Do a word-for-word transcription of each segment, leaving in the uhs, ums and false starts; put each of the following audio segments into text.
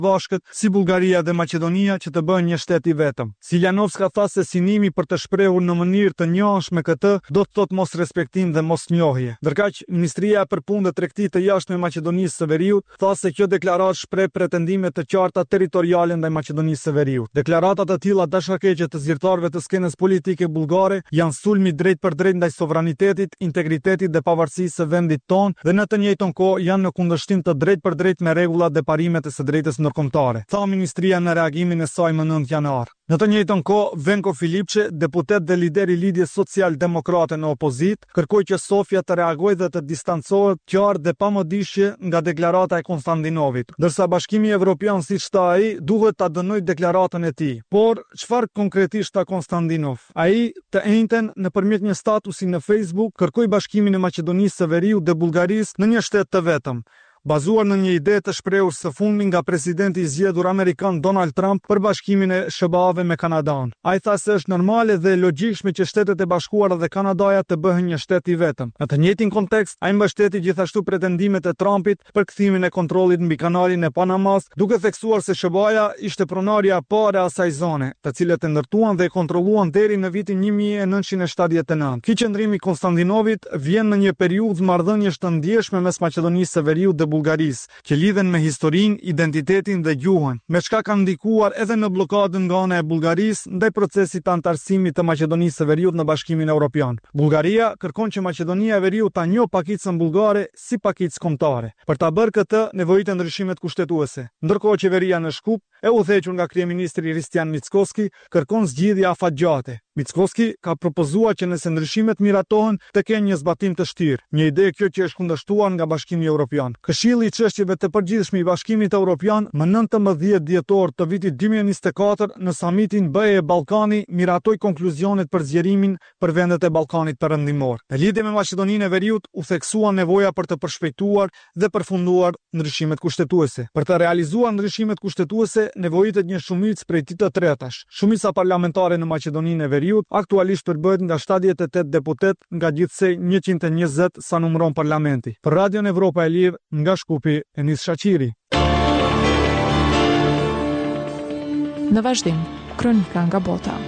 Përbashkët si Bullgaria dhe Maqedonia që të bëhen një shtet i vetëm. Siljanovska tha se synimi për të shprehur në mënyrë të njëanshme këtë do të thotë mosrespektim dhe mosnjohje. Ndërkaq, Ministria për Punë dhe Tregti të Jashtme e Maqedonisë së Veriut tha se kjo deklaratë shpreh pretendime të qarta territoriale ndaj Maqedonisë së Veriut. Deklarata të tilla dashakeqe të zyrtarëve të skenës politike bullgare janë sulm i drejtpërdrejtë ndaj sovranitetit, integritetit dhe pavarësisë së vendit tonë dhe në të njëjtën kohë janë në kundërshtim të drejtpërdrejtë me rregullat dhe parimet e së drejtës ndërkombëtare, tha ministria në reagimin e saj më nëntë janar. Në të njëjtën kohë, Venko Filipçe, deputet dhe lider i Lidhjes Social Demokrate në opozitë, kërkoi që Sofja të reagojë dhe të distancohet qartë dhe pa mëdyshje nga deklarata e Konstantinovit, ndërsa Bashkimi Evropian, siç tha ai, duhet ta dënojë deklaratën e tij. Por, çfarë konkretisht tha Konstantinov? Ai, të enjten, nëpërmjet një statusi në Facebook, kërkoi bashkimin e Maqedonisë së Veriut dhe Bullgarisë në një shtet të vetëm, bazuar në një ide të shprehur së fundmi nga presidenti i zgjedhur amerikan Donald Trump për bashkimin e S H B A-ve me Kanadan. Ai tha se është normale dhe e logjikshme që Shtetet e Bashkuara dhe Kanadaja të bëhen një shtet i vetëm. Në të njëjtin kontekst, ai mbështeti gjithashtu pretendimet e Trumpit për kthimin e kontrollit mbi kanalin e Panamas, duke theksuar se S H B A-ja ishte pronarja e parë e asaj zone, të cilët e ndërtuan dhe e kontrolluan deri në vitin një mijë e nëntëqind e shtatëdhjetë e nëntë. Ky qëndrim i Konstantinovit vjen në një periudhë marrëdhëniesh të ndjeshme mes Maqedonisë së Veriut dhe Bullgarisë, që lidhen me historinë, identitetin dhe gjuhën, me çka kanë ndikuar edhe në bllokadën nga ana e Bullgarisë ndaj procesit të anëtarësimit të Maqedonisë së Veriut në Bashkimin Evropian. Bullgaria kërkon që Maqedonia e Veriut ta njohë pakicën bullgare si pakicë kombëtare. Për ta bërë këtë, nevojiten ndryshimet kushtetuese. Ndërkohë, qeveria në Shkup, e udhëhequr nga kryeministri Hristijan Mickoski, kërkon zgjidhje afatgjate. Mickoski ka propozuar që nëse ndryshimet miratohen, të kenë një zbatim të shtyrë, një ide kjo që është kundërshtuar nga Bashkimi Evropian. Këshilli i Çështjeve të Përgjithshme i Bashkimit Evropian më nëntëmbëdhjetë dhjetor të vitit dy mijë e njëzet e katër në samitin B E Ballkani miratoi konkluzionet për zgjerimin për vendet e Ballkanit Perëndimor. Në lidhje me Maqedoninë e Veriut u theksua nevoja për të përshpejtuar dhe përfunduar ndryshimet kushtetuese. Për të realizuar ndryshimet kushtetuese nevojitet një shumicë prej dy të tretash. Shumica parlamentare në Maqedoninë e Veriut aktualisht përbëhet nga shtatëdhjetë e tetë deputet nga gjithsej njëqind e njëzet sa numëron parlamenti. Për Radion Evropa e Lirë, nga Shkupi, Enis Shaqiri. Në vazhdim, kronika nga bota.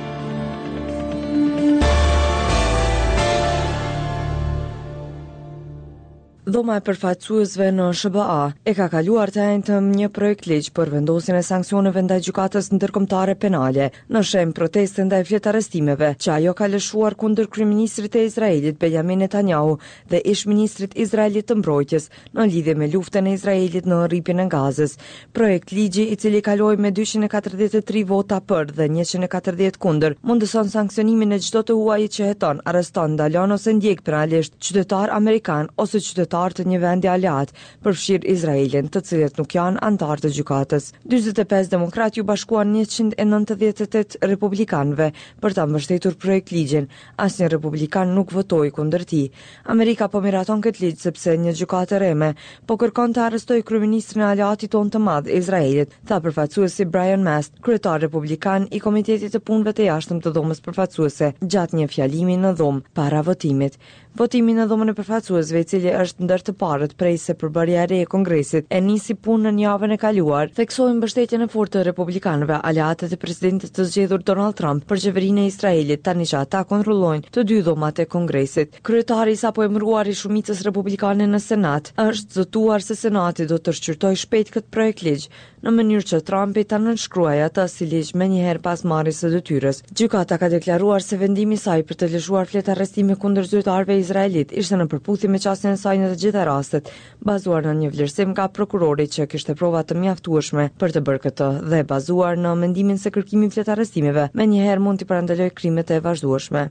Dhoma e përfaqësuesve në S H B A e ka kaluar të enjten një projekt ligj për vendosjen e sanksioneve ndaj Gjykatës Ndërkombëtare Penale në shenjë proteste ndaj fletarrestimeve që ajo ka lëshuar kundër kryeministrit të Izraelit Benjamin Netanyahu dhe ish ministrit izraelit të mbrojtjes në lidhje me luftën e Izraelit në rripin e Gazës. Projekt ligji, i cili kaloi me dyqind e katërdhjetë e tri vota për dhe njëqind e katërdhjetë kundër, mundëson sanksionimin e çdo të huaji që heton, arreston, ndalon ose ndjek penalisht qytetar amerikan ose qytetar të një vendi aleat, përfshirë Izraelin, të cilët nuk janë anëtar të gjykatës. dyzet e pesë demokrat ju bashkuan njëqind e nëntëdhjetë e tetë republikanëve për ta mbështetur projekt ligjin. Asnjë republikan nuk votoi kundër tij. Amerika po miraton këtë ligj sepse një gjykatë e rreme po kërkon të arrestojë kryeministrin e aleatit tonë të madh, Izraelit, tha përfaqësuesi Brian Mast, kryetar republikan i Komitetit të Punëve të Jashtëm të Dhomës Përfaqësuese, gjatë një fjalimi në dhomë para votimit. Votimi në Dhomën e Përfaqësuesve, i cili është ndër të parët prej se përbërja e re e Kongresit e nisi punën javën e kaluar, theksoi mbështetjen e fortë të republikanëve, aleatët e presidentit të zgjedhur Donald Trump, për qeverinë e Izraelit, tani që ata kontrollojnë të dy dhomat e Kongresit. Kryetari i sapo emëruar i shumicës republikane në Senat është zotuar se Senati do të shqyrtojë shpejt këtë projekt ligj, në mënyrë që Trumpi ta nënshkruajë atë si ligj menjëherë pas marrjes së detyrës. Gjykata ka deklaruar se vendimi i saj për të lëshuar fletarrestime kundër zyrtarëve izraelit ishte në përputhje me qasjen e saj në të gjitha rastet, bazuar në një vlerësim nga prokurori që kishte prova të mjaftueshme për të bërë këtë dhe bazuar në mendimin se kërkimi i fletarrestimeve menjëherë mund t'i parandalojë krimet e vazhdueshme.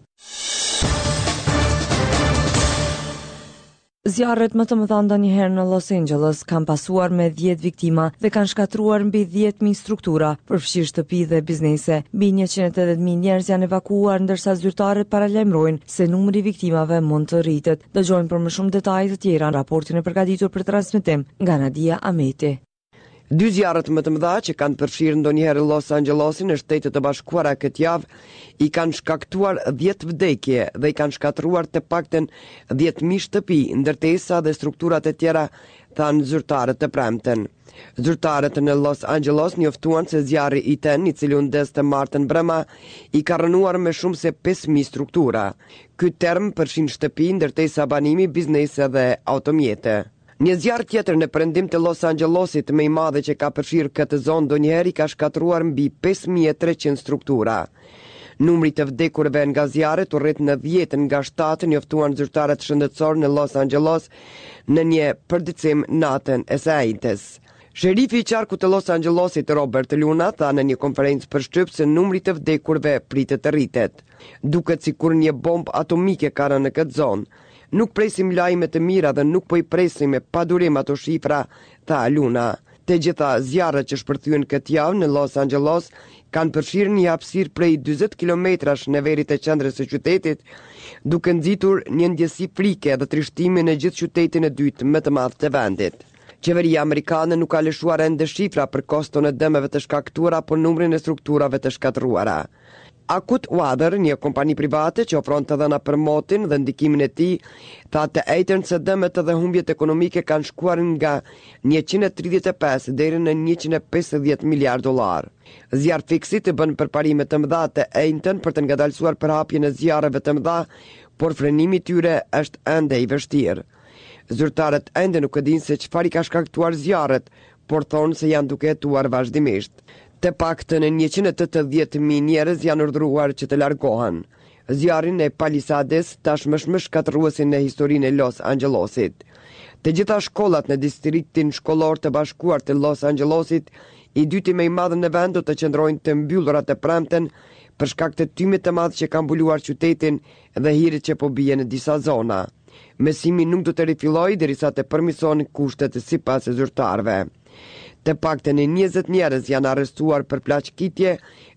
Zjarret më të mëdha ndonjëherë në Los Angeles kanë pasuar me dhjetë viktima dhe kanë shkatërruar mbi dhjetë mijë struktura, përfshirë shtëpi dhe biznese. Mbi njëqind e tetëdhjetë mijë njerëz janë evakuuar, ndërsa zyrtarët paralajmërojnë se numri i viktimave mund të rritet. Dëgjojmë për më shumë detaje të tjera në raportin e përgatitur për transmetim nga Nadia Ameti. Dy zjarret më të mëdha që kanë përfshirë ndonjëherë Los Angelesin në Shtetet e Bashkuara këtë javë i kanë shkaktuar dhjetë vdekje dhe i kanë shkatërruar të paktën dhjetë mijë shtëpi, ndërtesa dhe strukturat e tjera, thanë zyrtarët të premten. Zyrtarët në Los Angeles njoftuan se zjarri Ethan, i cili u ndez të martën mbrëma, i ka rrënuar më shumë se pesë mijë struktura. Ky term përfshin shtëpi, ndërtesa banimi, biznese dhe automjete. Një zjarr tjetër në perëndim të Los Angelesit, më i madhe që ka përfshirë këtë zonë ndonjëherë, i ka shkatërruar mbi pesë mijë e treqind struktura. Numri të vdekurve nga zjarret u rrit në dhjetë nga shtatë, njoftuan zyrtarët shëndetësor në Los Angeles në një përditësim natën e së enjtes. Sherifi i qarkut të Los Angelesit, Robert Luna, tha në një konferencë për shtyp se numri të vdekurve pritet të rritet. Duket sikur një bombë atomike ka rënë në këtë zonë. Nuk presim lajme të mira dhe nuk po i presim me padurim ato shifra, tha Luna. Të gjitha zjarret që shpërthyen këtë javë në Los Angeles kanë përfshirë një hapësirë prej dyzet kilometrash në veri të qendrës së qytetit, duke nxitur një ndjesi frike dhe trishtimi në gjithë qytetin e dytë më të madh të vendit. Qeveria amerikane nuk ka lëshuar ende shifra për koston e dëmeve të shkaktuara apo numrin e strukturave të shkatërruara. Akut Weather, një kompani private që ofron të dhëna për motin dhe ndikimin e tij, tha të enjten se dëmet dhe humbjet ekonomike kanë shkuar nga njëqind e tridhjetë e pesë deri në njëqind e pesëdhjetë miliard dollar. Zjarrfikësit bën përparime të mëdha të enjten për të ngadalësuar përhapjen e zjarreve të mëdha, por frenimi i tyre është ende i vështirë. Zyrtarët ende nuk e dinë se çfarë i ka shkaktuar zjarret, por thonë se janë duke hetuar vazhdimisht. Të paktën njëqind e tetëdhjetë mijë njerëz janë urdhëruar që të largohen. Zjarri në Palisades tashmë është më shkatërruesi në historinë e Los Angelesit. Të gjitha shkollat në distriktin shkollor të bashkuar të Los Angelesit, i dyti më i madh në vend, do të qëndrojnë të mbyllura të premten për shkak të tymit të madh që ka mbuluar qytetin dhe hirit që po bie në disa zona. Mësimi nuk do të rifillojë derisa të përmirësohen kushtet sipas zyrtarëve. Të paktën njëzet njerëz janë arrestuar për plaçkitje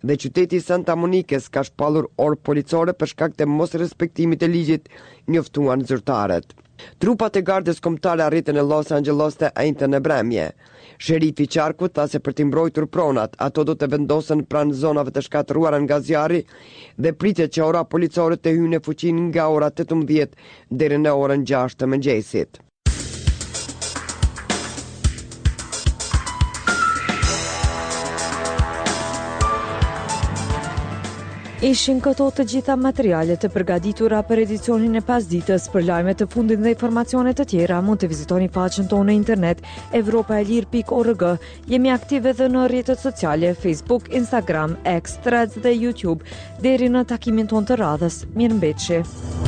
dhe qyteti i Santa Monikës ka shpallur orë policore për shkak të mosrespektimit të ligjit, njoftuan zyrtarët. Trupat e Gardës Kombëtare arritën në Los Angeles të enjten në mbrëmje. Sherifi i qarkut tha se për të mbrojtur pronat, ato do të vendosen pranë zonave të shkatërruara nga zjarri dhe pritet që ora policore të hyjë në fuqi nga ora tetëmbëdhjetë deri në orën gjashtë të mëngjesit. Ishin këto të gjitha materialet të përgatitura për edicionin e pasditës. Për lajme të fundit dhe informacione të tjera mund të vizitoni faqen tonë në internet evropa e lirë pikë org. Jemi aktive edhe në rrjetet sociale Facebook, Instagram, X, Threads dhe YouTube. Deri në takimin tonë të radhës, mirëmbetshi.